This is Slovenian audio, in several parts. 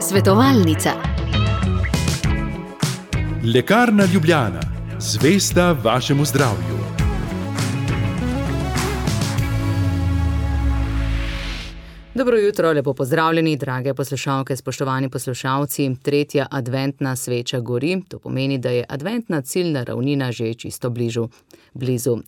Svetovalnica. Lekarna Ljubljana, zvesta vašemu zdravju. Dobro jutro, lepo pozdravljeni, drage poslušalke, spoštovani poslušalci. Tretja adventna sveča gori, to pomeni, da je adventna ciljna ravnina že čisto blizu.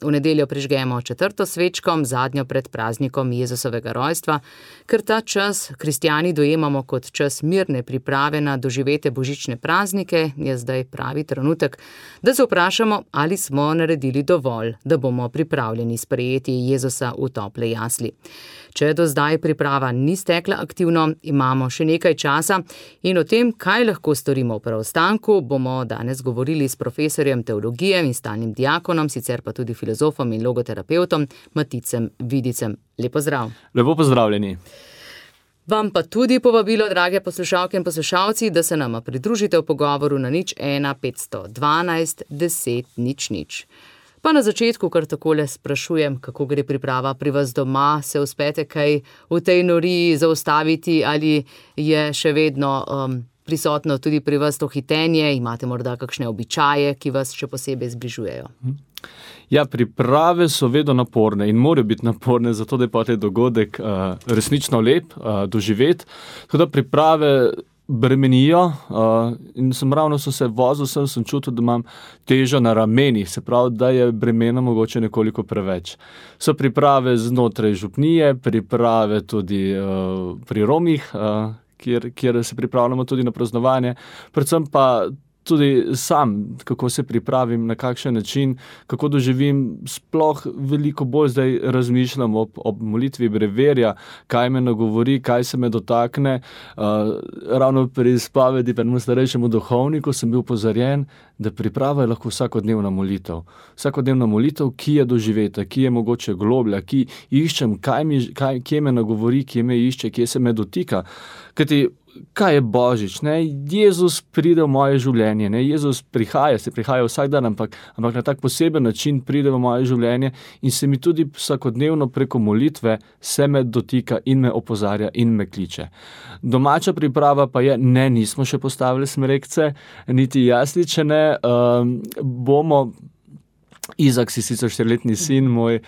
V nedeljo prižgemo četrto svečko, zadnjo pred praznikom Jezusovega rojstva, ker ta čas kristjani dojemamo kot čas mirne priprave na doživete božične praznike, je zdaj pravi trenutek, da se vprašamo, ali smo naredili dovolj, da bomo pripravljeni sprejeti Jezusa v tople jasli. Če do zdaj priprava ni stekla aktivno, imamo še nekaj časa in o tem, kaj lahko storimo v preostanku, bomo danes govorili s profesorjem teologije in stalnim diakonom, sicer pa tudi filozofom in logoterapeutom Maticem Vidicem. Lep pozdrav. Lepo pozdravljeni. Vam pa tudi povabilo, drage poslušalke in poslušalci, da se nama pridružite v pogovoru na 01 512 10 00. Pa na začetku kar takole sprašujem, kako gre priprava pri vas doma, se uspete kaj v tej noriji zaustaviti ali je še vedno prisotno tudi pri vas to hitenje, imate morda kakšne običaje, ki vas še posebej zbližujejo? Ja, priprave so vedno naporne in morajo biti naporne, zato da je pa ta dogodek resnično lep, doživet. Tako da priprave bremenijo in ravno so se vozil, sem čutil, da imam težo na ramenih, se pravi, da je bremena mogoče nekoliko preveč. So priprave znotraj župnije, priprave tudi pri Romih, kjer se pripravljamo tudi na praznovanje, predvsem pa tudi sam, kako se pripravim, na kakšen način, kako doživim, sploh veliko bolj zdaj razmišljam ob molitvi breverja, kaj me nagovori, kaj se me dotakne. Ravno pri spovedi pri starejšemu duhovniku sem bil opozorjen, da priprava je lahko vsakodnevna molitev. Vsakodnevna molitev, ki je doživeta, ki je mogoče globlja, ki iščem, kje me nagovori, kje me išče, kje se me dotika. Kaj je Božič? Ne? Jezus pride v moje življenje, ne? Jezus se prihaja vsak dan, ampak na tak poseben način pride v moje življenje in se mi tudi vsakodnevno preko molitve se me dotika in me opozarja in me kliče. Domača priprava pa je, nismo še postavili smrekce, niti jasliče ne, bomo. Izak, si sicer 4-letni sin moj,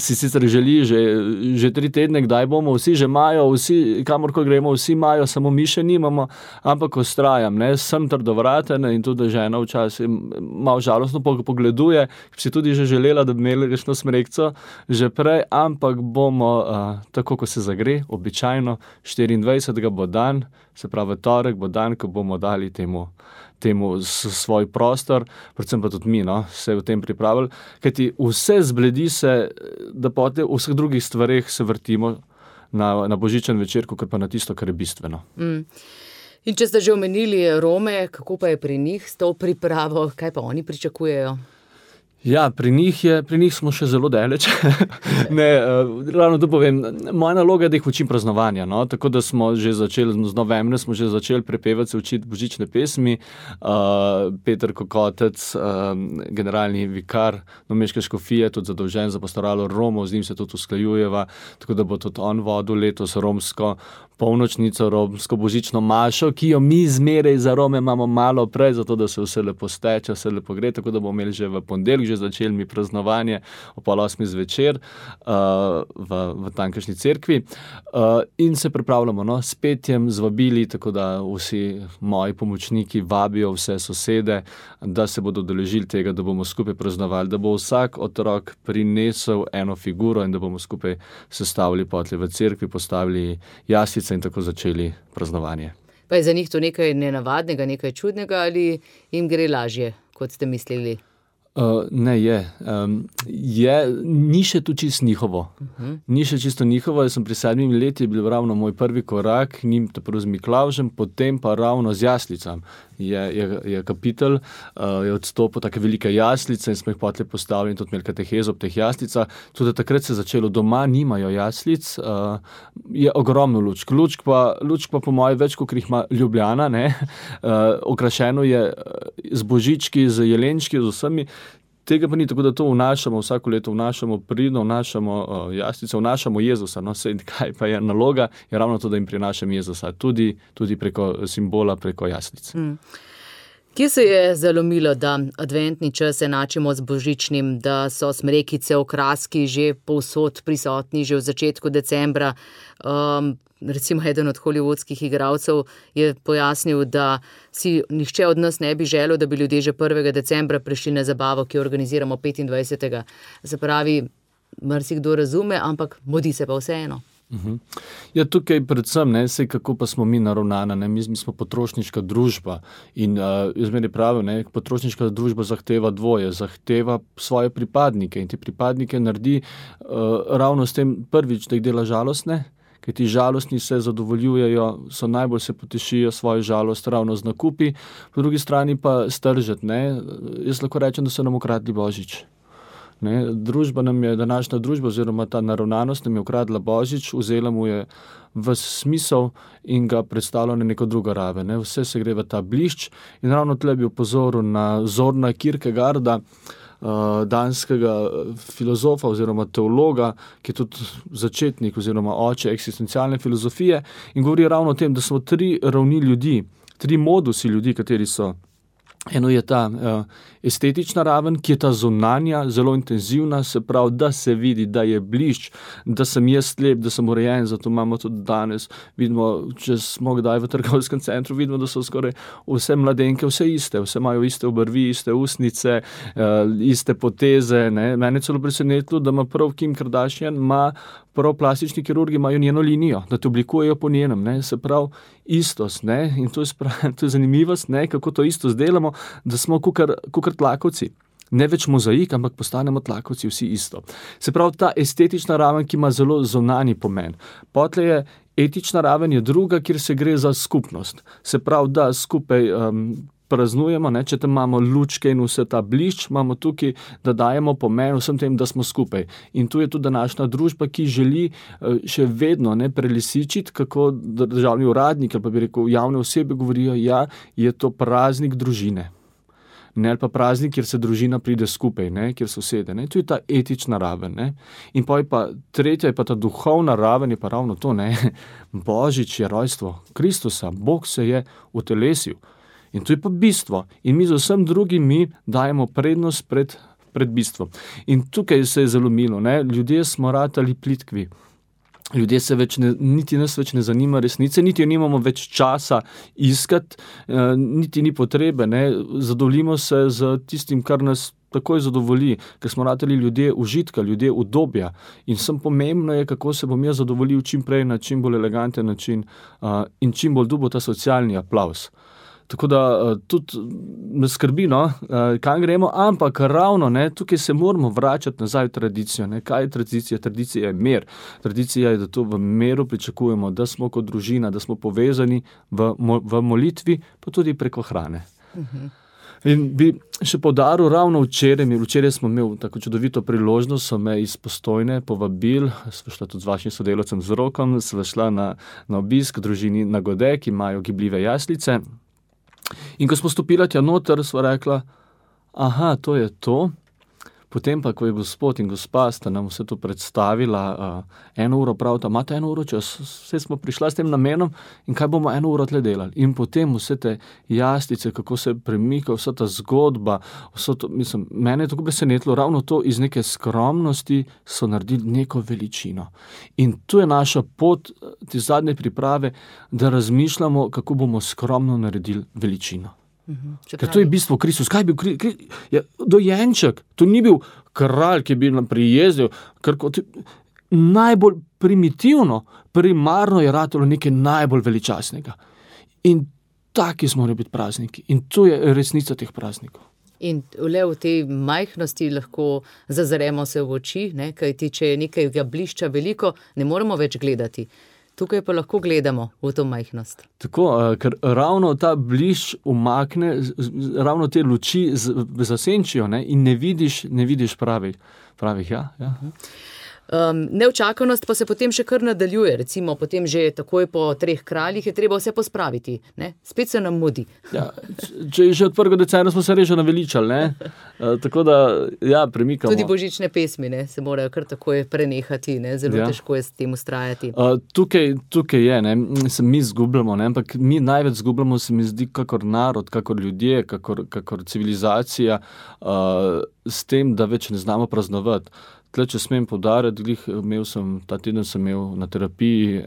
si sicer želi že 3 tedne, kdaj bomo, vsi že imajo, vsi, kamorko gremo, vsi imajo, samo mi še nimamo, ampak vztrajam, sem trdovraten in tudi žena včasih malo žalostno pogleduje, si tudi že želela, da bi imeli rešno smrekco že prej, ampak bomo, tako ko se zagre, običajno 24. bo dan, se pravi torek bo dan, ko bomo dali temu svoj prostor, predvsem pa tudi mi, se v tem pripravili, kajti vse zbledi se, da potem v vseh drugih stvareh se vrtimo na božičen večer, kot pa na tisto, kar je bistveno. In če ste že omenili Rome, kako pa je pri njih s to pripravo, kaj pa oni pričakujejo? Ja, pri njih smo še zelo daleč. Ravno to povem, moja naloga je, da jih učim praznovanja, tako da smo že začeli, z novembra smo že začeli prepevati, se učiti božične pesmi. Peter Kokotec, generalni vikar Novomeške škofije, tudi zadolžen za pastoralo Romov, z njim se tudi usklajujeva, tako da bo tudi on vodil letos romsko polnočnico, romsko božično mašo, ki jo mi zmeraj za Rome imamo malo prej, zato da se vse lepo steče, vse lepo gre, tako da bomo imeli že v ponedeljek že začeli mi praznovanje o 7:30 zvečer v tamkajšnji cerkvi in se pripravljamo s petjem, z vabili, tako da vsi moji pomočniki vabijo vse sosede, da se bodo udeležili tega, da bomo skupaj praznovali, da bo vsak otrok prinesel eno figuro in da bomo skupaj sestavili potlej v cerkvi, postavili jaslice in tako začeli praznovanje. Pa je za njih to nekaj nenavadnega, nekaj čudnega ali jim gre lažje, kot ste mislili? Ne, ni še tu čisto njihovo. Ni še čisto njihovo, jaz sem pri 7 letih bil ravno moj prvi korak, njim prvo z Miklavžem, potem pa ravno z jaslicam. Je kapitel, je odstopil take velike jaslice in smo jih potlej postavili in tudi imeli katehezo ob teh jaslicah. Tudi takrat se je začelo, doma nimajo jaslic, je ogromno lučk. Lučk pa po moje več, kot jih ima Ljubljana, okrašeno je z božički, z jelenčki, z vsemi. Tega pa ni, tako da to vnašamo, vsako leto vnašamo pridno, vnašamo jaslice, vnašamo Jezusa. No, sej, kaj pa je naloga, je ravno to, da jim prinašam Jezusa, tudi preko simbola, preko jaslic. Kje se je zalomilo, da adventni čas enačimo z božičnim, da so smrekice, okraski že povsod prisotni, že v začetku decembra? Recimo eden od hollywoodskih igralcev je pojasnil, da si nihče od nas ne bi želel, da bi ljudje že 1. decembra prišli na zabavo, ki jo organiziramo 25. Se pravi, marsikdo razume, ampak mudi se pa vseeno. Ja, tukaj predvsem, sej kako pa smo mi naravnana, mi smo potrošniška družba in jaz meni pravim, potrošniška družba zahteva dvoje, zahteva svoje pripadnike in te pripadnike naredi ravno s tem prvič, da jih dela žalostne, ker ti žalostni se zadovoljujejo, najbolj se potešijo svojo žalost ravno z nakupi, po drugi strani pa stržet, jaz lahko rečem, da so nam ukradli Božič. Družba nam je, današnja družba oziroma ta naravnanost nam je ukradla Božič, vzela mu je ves smisel in ga predstavila na neko drugo raven. Vse se gre v ta blišč in ravno tle bi opozoril na Zorna Kierkegaarda, danskega filozofa oziroma teologa, ki je tudi začetnik oziroma oče eksistencialne filozofije in govori ravno o tem, da smo 3 ravni ljudi, 3 modusi ljudi, kateri so. Eno je ta estetična raven, ki je ta zunanja, zelo intenzivna, se pravi, da se vidi, da je blišč, da sem jaz lep, da sem urejen, zato imamo tudi danes, vidimo, če smo kdaj v trgovskem centru, vidimo, da so skoraj vse mladenke, vse iste, vse imajo iste obrvi, iste usnice, iste poteze, Mene celo presenetilo, da ima prav Kim Kardashian, prav plastični kirurgi imajo njeno linijo, da te oblikujejo po njenem, se pravi istost, in to je zanimivost, kako to isto zdelamo, da smo kukar tlakovci. Ne več mozaik, ampak postanemo tlakovci vsi isto. Se pravi, ta estetična raven, ki ima zelo zunanji pomen. Potlej je etična raven je druga, kjer se gre za skupnost. Se pravi, da skupaj praznujemo, če tam imamo lučke in vse ta blišč, imamo tukaj, da dajemo pomen vsem tem, da smo skupaj. In tu je tudi današnja družba, ki želi še vedno prelisičiti, kako državni uradnik, ali pa bi rekel javne osebe govorijo, je to praznik družine. Ali pa praznik, kjer se družina pride skupaj, kjer so sede. Tu je ta etična raven. In pa tretja je pa ta duhovna raven, je pa ravno to. Božič je rojstvo Kristusa, Bog se je utelesil. In to je pa bistvo. In mi z vsem drugim dajemo prednost pred bistvom. In tukaj se je zalomilo. Ljudje smo ratali plitkvi. Ljudje se niti nas več ne zanima resnice, niti jo nimamo več časa iskati, niti ni potrebe. Zadovoljimo se z tistim, kar nas takoj zadovolji, ker smo ratali ljudje užitka, ljudje udobja. In vsem pomembno je, kako se bom jaz zadovoljil čim prej, na čim bolj eleganten način in čim bolj dobil ta socialni aplavz. Tako da tudi me skrbi, kam gremo, ampak ravno tukaj se moramo vračati nazaj v tradicijo. Kaj je tradicija? Tradicija je mir. Tradicija je, da to v miru pričakujemo, da smo kot družina, da smo povezani v molitvi, pa tudi preko hrane. In bi še poudaril ravno včeraj smo imeli tako čudovito priložnost, so me iz Postojne povabili, sva šla tudi z vašim sodelavcem z Rokom, sva šla na obisk družini na Gode, ki imajo gibljive jaslice. In ko smo stopila tja noter, sva rekla, to je to. Potem pa, ko je gospod in gospa sta nam vse to predstavila, 1 uro pravita, imate 1 uro čas, vse smo prišla s tem namenom in kaj bomo 1 uro tle delali. In potem vse te jaslice, kako se premika, vsa ta zgodba, mene je tako presenetilo, ravno to iz neke skromnosti so naredili neko veličino. In tu je naša pot, te zadnje priprave, da razmišljamo, kako bomo skromno naredili veličino. Ker to je bistvo Kristus. Kaj je bil dojenček? To ni bil kralj, ki je bil nam prijezdil. Najbolj primitivno, primarno je ratalo nekaj najbolj veličastnega. In taki smo morali biti prazniki. In to je resnica teh praznikov. In le v tej majhnosti lahko zazremo se v oči, kajti če je nekaj blišča veliko, ne moremo več gledati. Tukaj pa lahko gledamo v to majhnost. Tako, ker ravno ta blišč umakne, ravno te luči zasenčijo in ne vidiš pravih. Ja. Neučakanost pa se potem še kar nadaljuje, recimo potem že takoj po 3 kraljih je treba vse pospraviti, ne? Spet se nam mudi. Ja, če je že od 1. decembra smo se reže naveličali, ne? Tako da, ja, premikamo. Tudi božične pesmi, ne? Se morajo kar takoj prenehati, ne? Zelo težko je s tem ustrajati. Tukaj je, ne? Se mi zgubljamo, ne? Ampak mi največ zgubljamo, se mi zdi, kakor narod, kakor ljudje, kakor civilizacija, s tem, da več ne znamo praznovati. Tle, če smem poudariti, ta teden sem imel na terapiji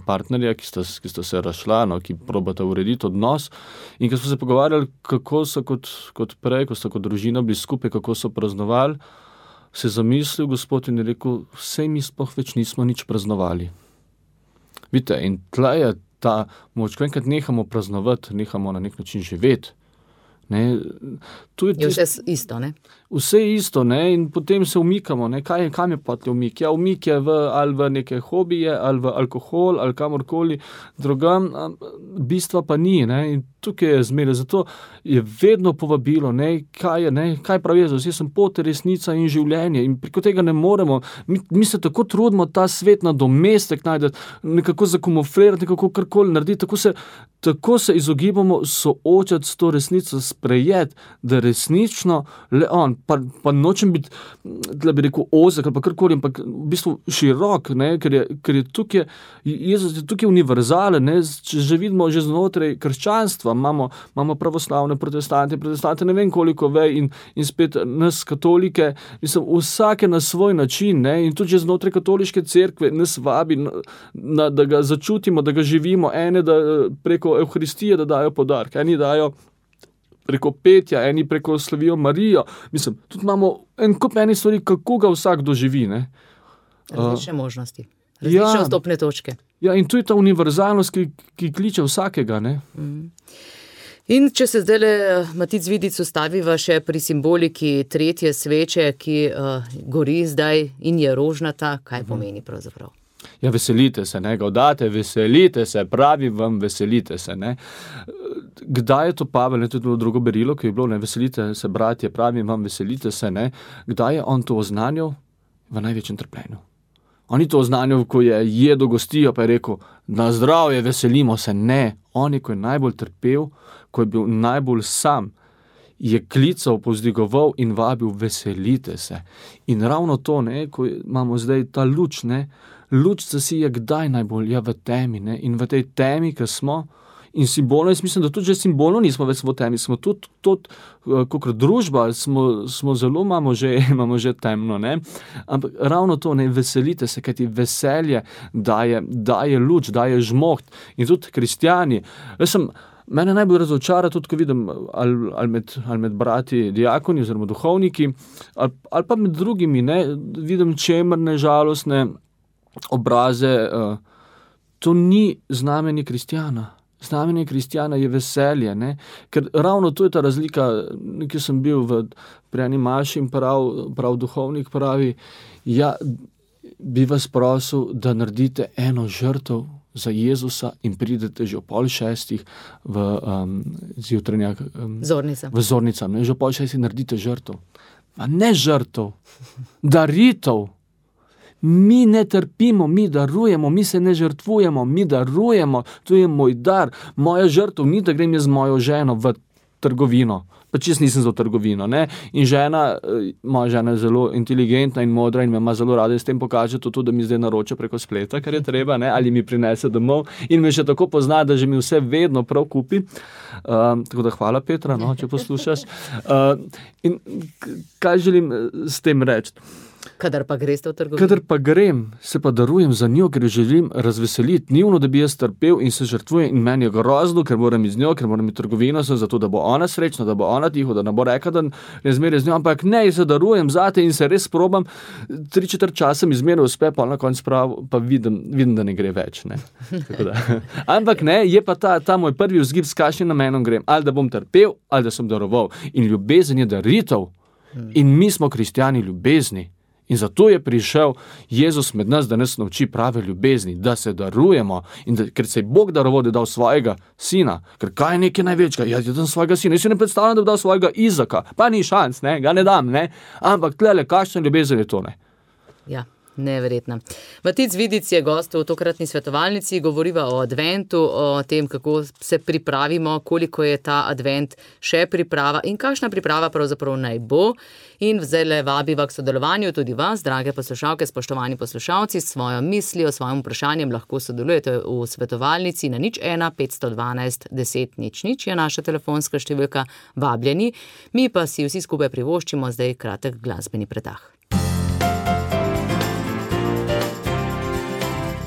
partnerja, ki sta se razšla, ki probata urediti odnos, in ko smo se pogovarjali, kako so kot prej, ko sta kot družina bili skupaj, kako so praznovali, se je zamislil Gospod in je rekel, sej mi sploh več nismo nič praznovali. Vidite, in tle je ta moč, ko enkrat nehamo praznovati, nehamo na nek način živeti. Ne, je vse isto, ne? Vse je isto, ne, in potem se umikamo, ne, kam je potlej umik? Ja, umik je ali v neke hobije, ali v alkohol, ali kamorkoli drugam, bistva pa ni, ne, in tukaj je zmeraj, zato je vedno povabilo, ne, kaj pravi Jezus, jaz sem pot, resnica in življenje in preko tega ne moremo, mi se tako trudimo ta svet nadomestek najdeti, nekako zakamuflirati, nekako karkoli narediti, tako se izogibamo soočati s to resnico, sprejeti, da resnično le on, pa nočem biti, da bi rekel ozek ali pa karkoli, ampak v bistvu širok, ne, ker je tukaj, Jezus je tukaj univerzalen, ne, če že vidimo že znotraj krščanstva, imamo pravoslavne protestante, ne vem koliko in spet nas katolike, mislim, vsake na svoj način, ne, in tudi že znotraj katoliške cerkve nas vabi, da ga začutimo, da ga živimo, ene da preko Evharistije, da dajo podarke, eni dajo preko petja, eni preko slavijo Marijo. Mislim, tudi imamo en kup enih stvari, kako ga vsak doživi, ne. Različne možnosti, različne vstopne točke. Ja, in tu je ta univerzalnost, ki kliče vsakega, ne. In če se zdajle, Matic Vidic, ustaviva še pri simboliki 3. sveče, ki gori zdaj in je rožnata, kaj pomeni pravzaprav? Ja, veselite se, ne, gaudate, veselite se, pravi vam, veselite se, ne. Kdaj je to Pavel, ne, tudi drugo berilo, ki je bilo, ne, veselite se, bratje, pravi vam, veselite se, ne. Kdaj je on to oznanjal? V največjem trpljenju. On ni to oznanjal, ko je jedel gostijo, pa je rekel, na zdravje, veselimo se, ne. On je, ko je najbolj trpel, ko je bil najbolj sam, je klical, povzdigoval in vabil, veselite se. In ravno to, ne, ko imamo zdaj ta luč, ne, luč se si je kdaj najbolj, ja, v temi, ne, in v tej temi, ki smo, in simbolno, jaz mislim, da tudi že simbolno nismo več v temi, smo tudi kakor družba, smo zelo, imamo že temno, ne, ampak ravno to, ne, veselite se, kajti veselje daje luč, daje žmoht, in tudi kristjani, mene najbolj razočara tudi, ko vidim ali med brati diakoni oziroma duhovniki, ali pa med drugimi, ne, vidim čemrne, žalostne obraze, to ni znamenje kristjana. Znamenje kristjana je veselje, ne, ker ravno to je ta razlika, ki sem bil pri eni maši in prav duhovnik pravi, ja, bi vas prosil, da naredite eno žrtev za Jezusa in pridete že o 5:30 v zjutrajnjak v Zornica, ne, že o 5:30 naredite žrtev. A ne žrtev, daritev. Mi ne trpimo, mi darujemo, mi se ne žrtvujemo, mi darujemo, to je moj dar. Moja žrtev ni, da grem jaz z mojo ženo v trgovino, pa čisto nisem za trgovino, ne. In moja žena je zelo inteligentna in modra in me ima zelo rada, s tem pokaže tudi, da mi zdaj naroča preko spleta, kar je treba, ne, ali mi prinese domov in me še tako pozna, da že mi vse vedno prav kupi. Tako da hvala, Petra, no, če poslušaš. In kaj želim s tem reči? Kadar pa greste v trgovino? Kadar pa grem, se pa darujem za njo, ker jo želim razveseliti. Ni ono, da bi jaz trpel in se žrtvujem in meni je grozno, ker moram iz njo, ker moram iti trgovino, zato da bo ona srečna, da bo ona tiho, da ne bo rekla, da ne zmeraj z njo, ampak ne, se darujem zate in se res probam, 3/4 časa mi zmeraj uspe, pa na koncu pa vidim, da ne gre več, ne. Ampak ne, je pa ta moj prvi vzgib, s kakšnim namenom grem, ali da bom trpel, ali da sem daroval. In ljubezen je daritev. In mi smo kristjani ljubezni. In zato je prišel Jezus med nas, da nas nauči prave ljubezni, da se darujemo in ker se je Bog daroval, da je dal svojega sina, ker kaj je nekaj največjega, jaz dam svojega sina, jaz si ne predstavljam, da bi dal svojega Izaka, pa ni šans, ne, ga ne dam, ne, ampak tlele, kakšna ljubezen je to, ne. Ja. Neverjetno. Matic Vidic je gost v tokratni svetovalnici, govoriva o adventu, o tem, kako se pripravimo, koliko je ta advent še priprava in kakšna priprava pravzaprav naj bo. In zdajle vabiva k sodelovanju tudi vas, drage poslušalke, spoštovani poslušalci, s svojo mislijo, s svojim vprašanjem lahko sodelujete v svetovalnici na 01 512 10 00 je naša telefonska številka, vabljeni. Mi pa si vsi skupaj privoščimo zdaj kratek glasbeni predah.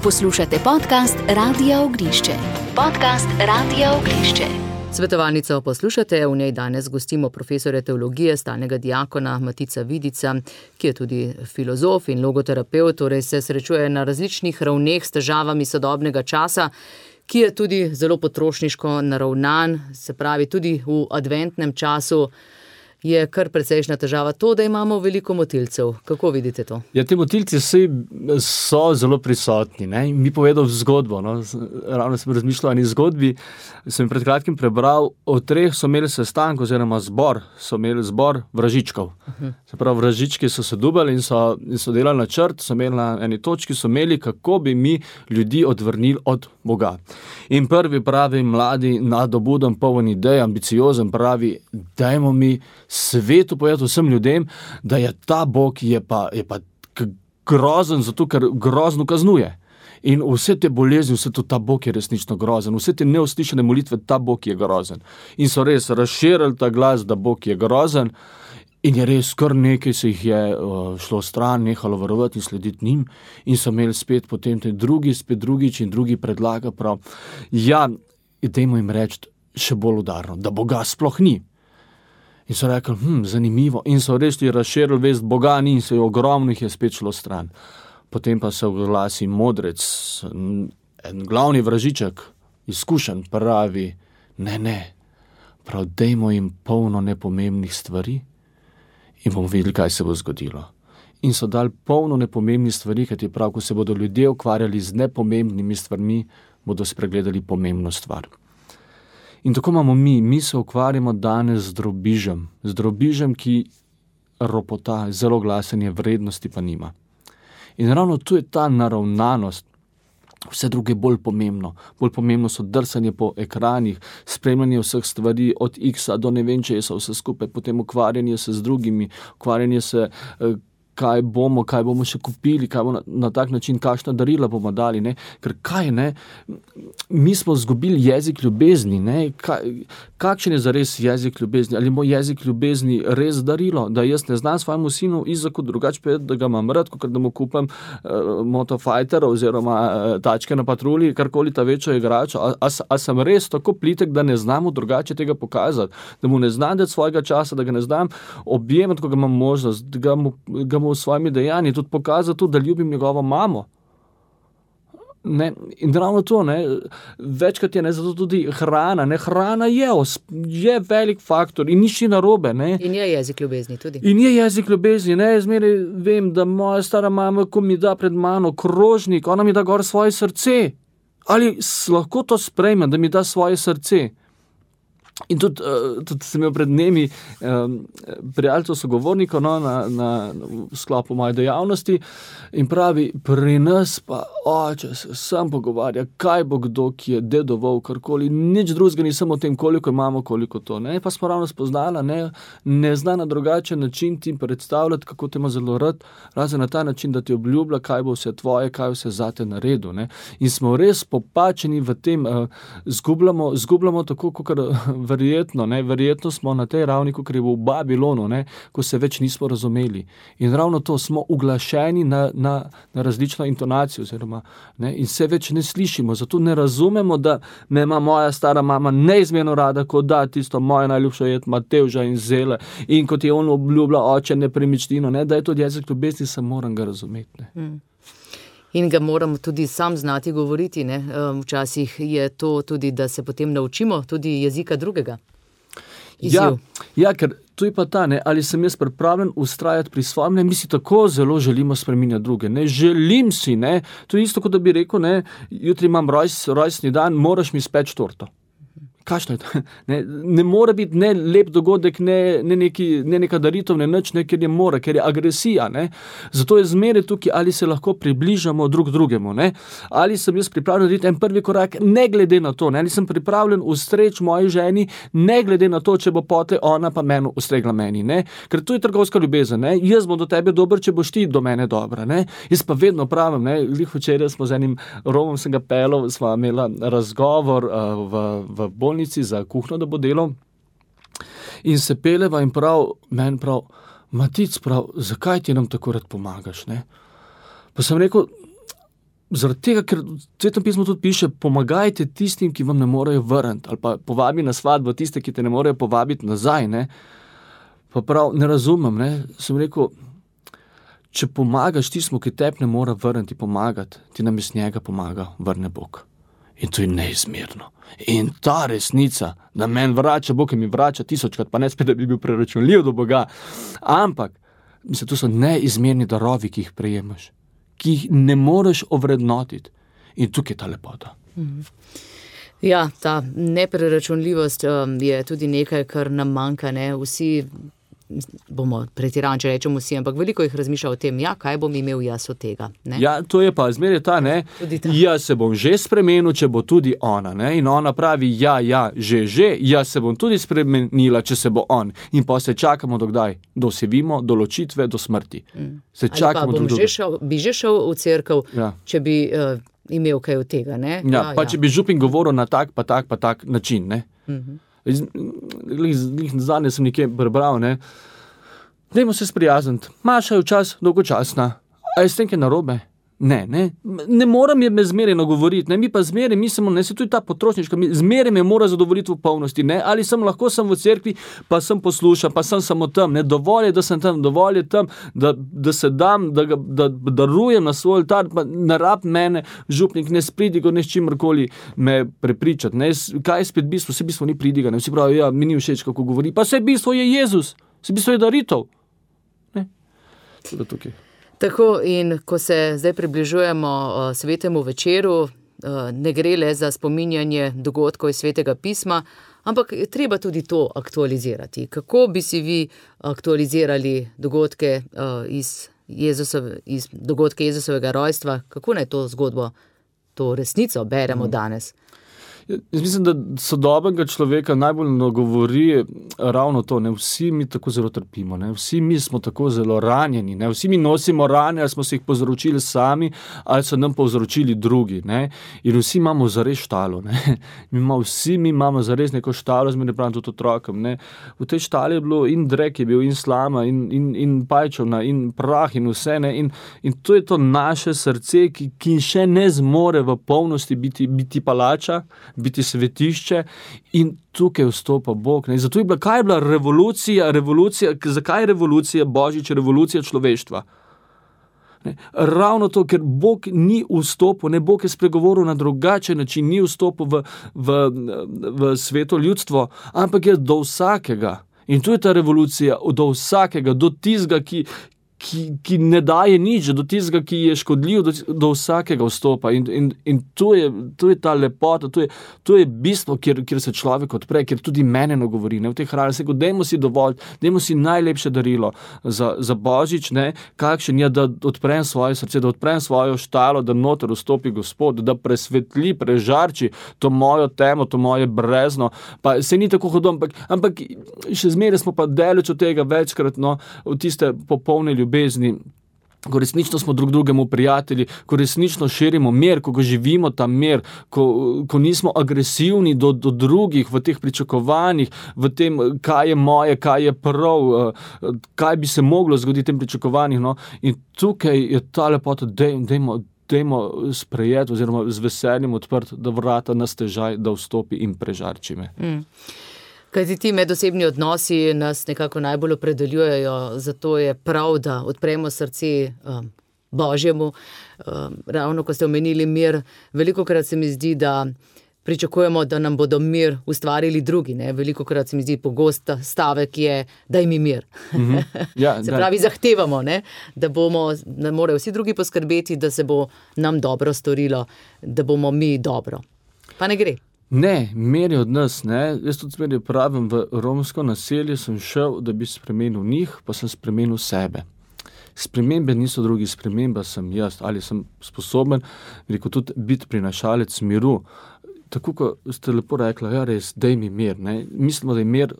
Poslušate podcast Radia Ognišče. Podcast Radia Ognišče. Svetovalnico poslušate, v njej danes gostimo profesorja teologije, stalnega diakona Matica Vidica, ki je tudi filozof in logoterapeut, torej se srečuje na različnih ravneh s težavami sodobnega časa, ki je tudi zelo potrošniško naravnan, se pravi tudi v adventnem času je kar precejšnja težava to, da imamo veliko motilcev. Kako vidite to? Ja, ti motilci so zelo prisotni. Ne? Mi povedal zgodbo. No? Ravno sem razmišljal o eni zgodbi. Sem pred kratkim prebral, o 3 so imeli sestank oziroma zbor. So imeli zbor vražičkov. Se pravi, vražički so se dubali in so delali načrt, so imeli na eni točki, so imeli, kako bi mi ljudi odvrnili od Boga. In prvi pravi, mladi, nadobuden, poln idej, ambiciozen, pravi, dajmo mi svetu povedati vsem ljudem, da je ta Bog je pa grozen, zato ker grozno kaznuje. In vse te bolezni, vse to, ta Bog je resnično grozen. Vse te neuslišane molitve, ta Bog je grozen. In so res razširili ta glas, da Bog je grozen. In je res, kar nekaj se jih je šlo stran, nehalo verovati in slediti njim. In so imeli spet potem drugič in drugi predlaga prav. Ja, dajmo jim reči še bolj udarno, da Boga sploh ni. In so rekli, zanimivo. In so res razširili vest, Boga ni, in se je ogromno jih je spet šlo stran. Potem pa se oglasi modrec, en glavni vražiček, izkušen, pravi, ne, prav dajmo jim polno nepomembnih stvari in bomo videli, kaj se bo zgodilo. In so dali polno nepomembnih stvari, kajti prav, ko se bodo ljudje ukvarjali z nepomembnimi stvarmi, bodo spregledali pomembno stvar. In tako imamo mi se ukvarjamo danes z drobižem, ki ropota, zelo glasen je, vrednosti pa nima. In ravno tu je ta naravnanost, vse druge je bolj pomembno. Bolj pomembno so drsanje po ekranih, spremljanje vseh stvari, od X-a do ne vem česa, vse skupaj, potem ukvarjanje se z drugimi, ukvarjanje se, kaj bomo še kupili, kaj bomo na tak način, kakšna darila bomo dali, ne? Ker kaj, ne? Mi smo izgubili jezik ljubezni, ne? Kakšen je zares jezik ljubezni? Ali moj jezik ljubezni res darilo, da jaz ne znam svojemu sinu Izaku drugače povedati, da ga imam rad, kot da mu kupam Motofighter oziroma tačke na patrulji, karkoli ta večjo igračo. A sem res tako plitek, da ne znamo drugače tega pokazati, da mu ne znam dati svojega časa, da ga ne znam objemati, ko ga imam možnost, da ga mu v svojimi dejanji tudi pokazati tudi, da ljubim njegovo mamo. Ne? In ravno to, ne? Večkrat je, ne, zato tudi hrana, ne? Hrana je velik faktor in nič ni narobe. Ne? In je jezik ljubezni tudi. In je jezik ljubezni, ne? Zmeraj vem, da moja stara mama, ko mi da pred mano krožnik, ona mi da gor svoje srce. Ali lahko to sprejmem, da mi da svoje srce? In tudi sem imel pred dnevi prijateljstvo sogovornikov na sklopu moje dejavnosti in pravi, pri nas pa oče se sam pogovarja, kaj bo kdo, ki je dedoval karkoli, nič drugega nisem o tem, koliko imamo, koliko to. Ne? Pa smo ravno spoznala, ne zna na drugačen način ti predstavljati, kako te ima zelo rad, razen na ta način, da ti obljublja, kaj bo vse tvoje, kaj vse zate naredil. Ne? In smo res popačeni v tem, zgubljamo tako, kot verjetno smo na tej ravni, kot je v Babilonu, ko se več nismo razumeli. In ravno to, smo uglašeni na različno intonacijo, oziroma, in se več ne slišimo, zato ne razumemo, da me ima moja stara mama neizmerno rada, ko da tisto moje najljubše jed matevža in zele, in kot je on obljublja oče nepremičnino, da je to jezik ljubezni, se moram ga razumeti. In ga moramo tudi sam znati govoriti, ne? Včasih je to tudi, da se potem naučimo tudi jezika drugega. Ja, ker tu je pa ta, ali sem jaz pripravljen ustrajati pri svojem, mi si tako zelo želimo spreminjati druge, želim si, to je isto, kot da bi rekel, jutri imam rojstni dan, moraš mi speči torto. Kakšno je to? Ne more biti ne lep dogodek, ne neka daritev, ne nič, ker je mora, ker je agresija. Ne? Zato je zmeraj tukaj, ali se lahko približamo drug drugemu. Ne? Ali sem jaz pripravljen narediti en prvi korak, ne glede na to, ne? Ali sem pripravljen ustreči moji ženi, ne glede na to, če bo pote ona pa meni ustregla meni. Ne? Ker to je trgovska ljubezen. Ne? Jaz bom do tebe dober, če boš ti do mene dobra. Ne? Jaz pa vedno pravim, glih včeraj smo z enim Romom, sem ga pelal, sva imela razgovor v bolnici za kuhno, da bo delal, in se peleva in meni prav, Matic prav, zakaj ti nam tako rad pomagaš? Ne? Pa sem rekel, zaradi tega, ker v Svetem pismu tudi piše, pomagajte tistim, ki vam ne morejo vrniti, ali pa povabi na svadbo tiste, ki te ne morejo povabiti nazaj. Ne? Pa prav, ne razumem, ne? Sem rekel, če pomagaš tistmu, ki tebi ne more vrniti pomagati, ti namesto njega pomaga, vrne Bog. In to je neizmerno. In ta resnica, da meni vrača Bog, ki mi vrača 1000krat, pa ne spet, da bi bil preračunljiv do Boga. Ampak, mislim, to so neizmerni darovi, ki jih prejemaš, ki jih ne moreš ovrednotiti. In tukaj je ta lepota. Ja, ta nepreračunljivost je tudi nekaj, kar nam manjka. Ne? Vsi bomo pretirani, če rečemo vsi, ampak veliko jih razmišlja o tem, kaj bom imel jaz od tega. Ne? Ja, to je pa zmeraj ta, ne? Jaz se bom že spremenil, če bo tudi ona. Ne? In ona pravi, že, jaz se bom tudi spremenila, če se bo on. In pa se čakamo do kdaj? Do osevimo, do ločitve, do smrti. Se čakamo do bi že šel v cerkev, če bi imel kaj od tega. Ne? Če bi župin govoril na tak način. Ne? Zadnje sem nekje prebral, ne? Dajmo se sprijazniti. Maša je včas dolgočasna. A je s tem kaj narobe? Ne moram je me zmeraj nagovoriti, ne? Mi pa zmeraj mislimo, ne, se tudi ta potrošniška, zmeraj me mora zadovoljiti v polnosti, ne? Ali lahko sem v cerkvi, pa sem poslušam, pa sem samo tam, ne? Dovolj je, da sem tam, dovolj je tam, da se dam, da darujem na svoj oltar, pa ne rab mene, župnik, ne spridigo, ne s čimrkoli me prepričati, ne? Kaj je spet bistvo? Vse bistvo ni pridiga, ne? Vsi pravi, mi ni všeč, kako govori, pa vse bistvo je Jezus, vse bistvo je daritev, ne? Tudi tukaj. Tako, in ko se zdaj približujemo svetemu večeru, ne gre le za spominjanje dogodkov iz Svetega pisma, ampak je treba tudi to aktualizirati. Kako bi si vi aktualizirali dogodke iz Jezusovega rojstva? Kako naj to zgodbo, to resnico beremo danes? Jaz mislim, da sodobnega človeka najbolj nagovori ravno to, ne, vsi mi tako zelo trpimo, ne, vsi mi smo tako zelo ranjeni, ne, vsi mi nosimo rane, ali smo se jih povzročili sami, ali so nam povzročili drugi, ne, in vsi imamo zares štalo, ne, vsi mi imamo zares neko štalo, zmeraj pravim tudi otrokom, ne, v tej štali je bilo in drek je bil, in slama, in pajčovna, in prah, in vse, ne, in to je to naše srce, ki še ne zmore v polnosti biti palača, biti svetišče, in tukaj vstopa Bog. Ne? Zato je bila, kaj je bila revolucija, zakaj je revolucija Božič, revolucija človeštva? Ne? Ravno to, ker Bog ni vstopil, ne, Bog je spregovoril na drugačen način, ni vstopil v sveto ljudstvo, ampak je do vsakega. In tu je ta revolucija, do vsakega, do tistega, ki ne daje nič, do tistega, ki je škodljiv, do vsakega vstopa. In to je ta lepota, to je bistvo, kjer se človek odpre, kjer tudi mene nagovori. Ne, v teh hrani se go, dajmo si dovolj, dajmo si najlepše darilo za Božič, ne, kakšen je, da odprem svoje srce, da odprem svojo štalo, da noter vstopi Gospod, da presvetli, prežarči to mojo temo, to moje brezno. Pa se ni tako hodom, ampak še zmeraj smo pa daleč od tega večkrat, no, v tiste popolne ljubezni, ko resnično smo drug drugemu prijatelji, ko resnično širimo mir, ko živimo ta mir, ko nismo agresivni do drugih v teh pričakovanjih, v tem, kaj je moje, kaj je prav, kaj bi se moglo zgoditi v tem pričakovanjih. No? In tukaj je ta lepota, dajmo sprejeti oziroma z veseljem odprt, da vrata na stežaj, da vstopi in prežarči me. Kajti ti medosebni odnosi nas nekako najbolj opredeljujejo, zato je prav, da odpremo srce Božjemu. Ravno ko ste omenili mir, velikokrat se mi zdi, da pričakujemo, da nam bodo mir ustvarili drugi. Ne? Velikokrat se mi zdi pogost stavek je, daj mi mir. Ja, se pravi, zahtevamo, ne? Da morajo vsi drugi poskrbeti, da se bo nam dobro storilo, da bomo mi dobro. Pa ne gre. Ne, mer je od nas, ne. Jaz tudi zmeraj pravim, v romsko naselje sem šel, da bi spremenil njih, pa sem spremenil sebe. Spremembe niso drugi, sprememba sem jaz, ali sem sposoben, rekel, tudi biti prinašalec miru. Tako, kot ste lepo rekla, ja, res, daj mi mir, ne. Mislimo, da je mir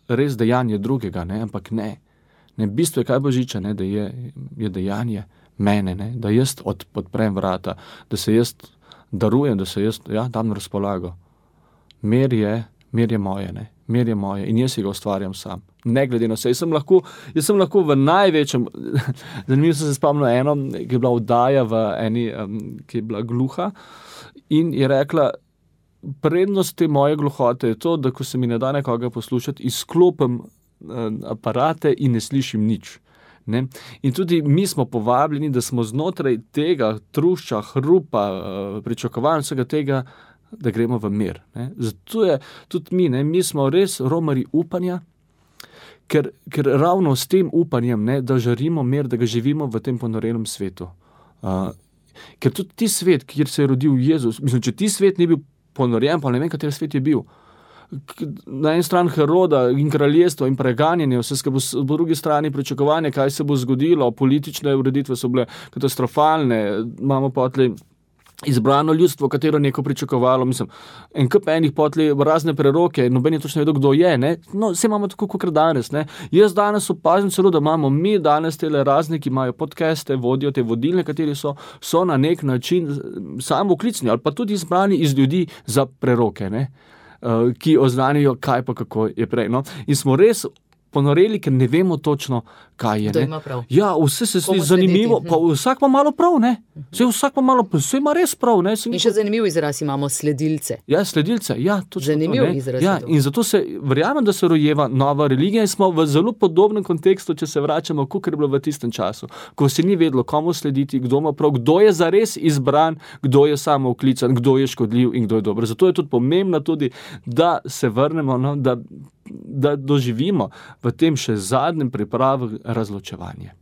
res dejanje drugega, ne, ampak ne. Ne, bistvo je kaj Božiča, ne, da je dejanje mene, ne, da jaz odprem vrata, da se jaz darujem, da se jaz, dam na razpolago. Mir je moje, ne, mir je moje in jaz si ga ustvarjam sam. Ne glede na vse. Jaz sem lahko v največjem, zanimivo sem se spomnil eno, ki je bila oddaja v eni, ki je bila gluha in je rekla, prednost te moje gluhote je to, da ko se mi ne da nekoga poslušati, izklopim aparate in ne slišim nič. Ne? In tudi mi smo povabljeni, da smo znotraj tega trušča, hrupa, pričakovanj vsega tega, da gremo v mir. Ne? Zato je tudi mi smo res romarji upanja, ker ravno s tem upanjem, ne, da žarimo mir, da ga živimo v tem ponorenem svetu. Ker tudi ti svet, kjer se je rodil Jezus, mislim, če ti svet ni bil ponorjen, pa ne vem, kateri svet je bil. Na eni strani Heroda in kraljestvo in preganjanje, vse skupaj, po drugi strani pričakovanje, kaj se bo zgodilo, politične ureditve so bile katastrofalne, imamo potli izbrano ljudstvo, katero neko pričakovalo, mislim, en kup enih potli razne preroke, noben je točno vedel, kdo je, ne, no, vse imamo tako, kot danes, ne, jaz danes opazim celo, da imamo mi danes tele razne, ki imajo podcaste, vodijo te vodilne, kateri so na nek način samooklicni, ali pa tudi izbrani iz ljudi za preroke, ne, ki oznanijo, kaj pa kako je prej, no, in smo res ponoreli, ker ne vemo točno, kaj je. Kdo ima prav. Ja, vse se sli zanimivo, pa vsak pa malo prav, ne? Vsak pa malo, vse ima res prav, ne? In še zanimiv izraz imamo sledilce. Ja, sledilce, ja, točno zanimiv to, ne? Izraz. Ja, in zato se, verjamem, da se rojeva nova religija in smo v zelo podobnem kontekstu, če se vračamo, kakor je bilo v tistem času, ko se ni vedlo, komu slediti, kdo ima prav, kdo je zares izbran, kdo je samooklican, kdo je škodljiv in kdo je dober. Zato je tudi pomembno tudi, da se vrnemo, no, da doživimo v tem še zadnjem pripravu razločevanje.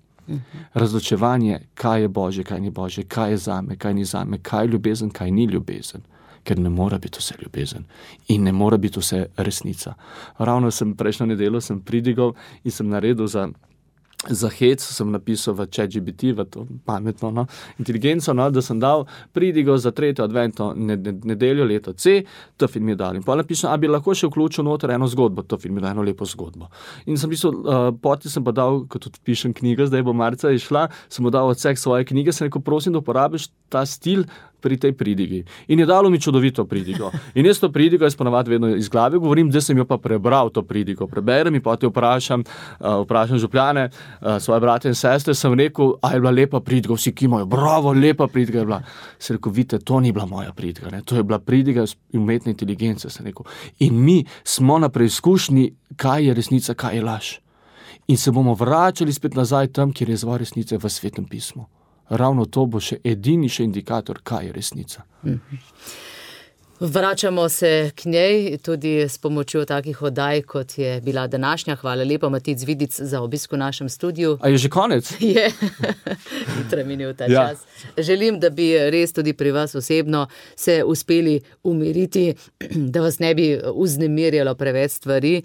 Razločevanje, kaj je Božje, kaj ni Božje, kaj je zame, kaj ni zame, kaj je ljubezen, kaj ni ljubezen. Ker ne mora biti vse ljubezen in ne mora biti vse resnica. Ravno prejšnjo nedeljo sem pridigal in sem naredil za hec, sem napisal v ChatGPT, v to pametno, no, inteligenco, no, da sem dal pridigo za 3. adventno nedeljo leto C, to film je dal. In pa napišem, bi lahko še vključil noter eno zgodbo, to film je dal eno lepo zgodbo. In sem pisal, poti sem pa dal, kot tudi pišem knjigo, zdaj bo marca išla, sem mu dal odsek svoje knjige, sem rekel, prosim, da uporabiš ta stil pri tej pridigi. In je dalo mi čudovito pridigo. In jaz to pridigo jaz ponavadi vedno iz glave govorim, da sem jo pa prebral to pridigo. Preberem in potem vprašam župljane, svoje brate in sestre, sem rekel, je bila lepa pridiga, vsi kimajo, bravo, lepa pridiga je bila. Sem rekel, vidite, to ni bila moja pridiga, ne? To je bila pridiga umetne inteligence, sem rekel. In mi smo na preizkušnji, kaj je resnica, kaj je laž. In se bomo vračali spet nazaj tam, kjer je izvor resnice v Svetem pismu. Ravno to bo še edini indikator, kaj je resnica. Vračamo se k njej tudi s pomočjo takih oddaj, kot je bila današnja. Hvala lepa, Matic Vidic, za obisk v našem studiu. A je že konec? Je, hitro minil ta čas. Želim, da bi res tudi pri vas osebno se uspeli umiriti, da vas ne bi vznemirjalo preveč stvari.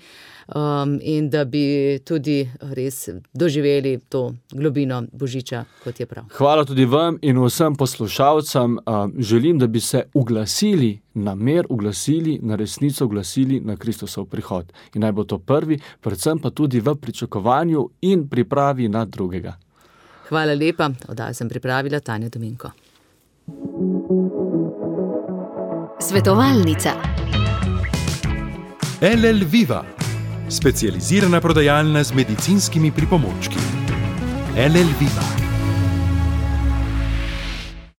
In da bi tudi res doživeli to globino Božiča, kot je prav. Hvala tudi vam in vsem poslušalcem. Želim, da bi se uglasili na mir, uglasili na resnico, uglasili na Kristusov prihod. In naj bo to prvi, predvsem pa tudi v pričakovanju in pripravi na drugega. Hvala lepa. Oddajo sem pripravila Tanja Dominko. Svetovalnica. LL Viva, specializirana prodajalna z medicinskimi pripomočki. LL Viva.